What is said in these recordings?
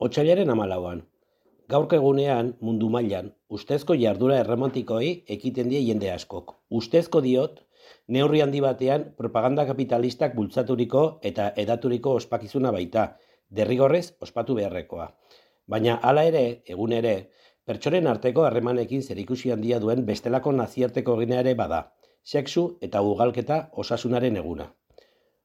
Otsailaren 14an. Gaurko egunean, mundu mailan, ustezko jarduera erromantikoei ekiten die jende askok. Ustezko diot, neurri handi batean propaganda kapitalistak bultzaturiko eta edaturiko ospakizuna baita, derrigorrez ospatu beharrekoa. Baina hala ere, egun ere, pertsonen arteko harremanekin zerikusi handia duen bestelako nazioarteko egina ere bada, sexu eta ugalketa osasunaren eguna.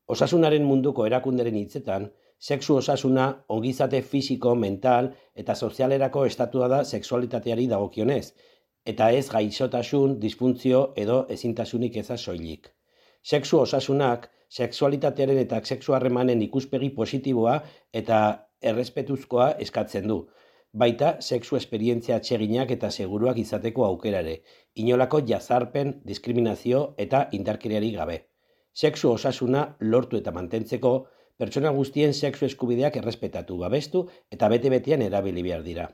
Osasunaren munduko erakunderen hitzetan, sexu osasuna ongizate fisiko, mental eta sozialerako estatua da sexualitateari dagokionez, eta ez gaixotasun, disfuntzio edo ezintasunik eza soilik. Sexu osasunak, sexualitatearen eta sexu harremanen ikuspegi positiboa eta errespetuzkoa eskatzen du. Baita, sexu esperientzia atseginak eta seguruak izateko aukerare, inolako jazarpen, diskriminazio eta indarkeriari gabe. Sexu osasuna lortu eta mantentzeko, pertsona guztien sexu eskubideak errespetatu, babestu eta bete-betean erabili behar dira.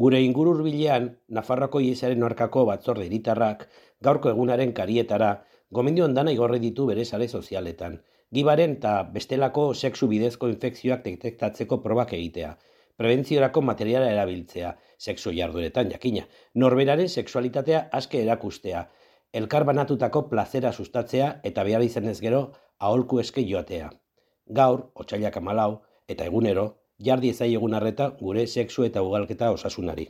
Gure inguru hurbilean, Nafarroako Ihesaren aurkako batzorde hiritarrak, gaurko egunaren karietara, gomendio ondana igorri ditu bere sare sozialetan, gibaren eta bestelako sexu bidezko infekzioak detektatzeko probak egitea, prebentziorako materiala erabiltzea, sexu jardueretan jakina, norberaren sexualitatea aske erakustea, elkar banatutako plazera sustatzea eta behar izanez gero aholku eske joatea. Gaur, otsailak 14, eta egunero, jar diezaiegun arreta gure sexu eta ugalketa osasunari.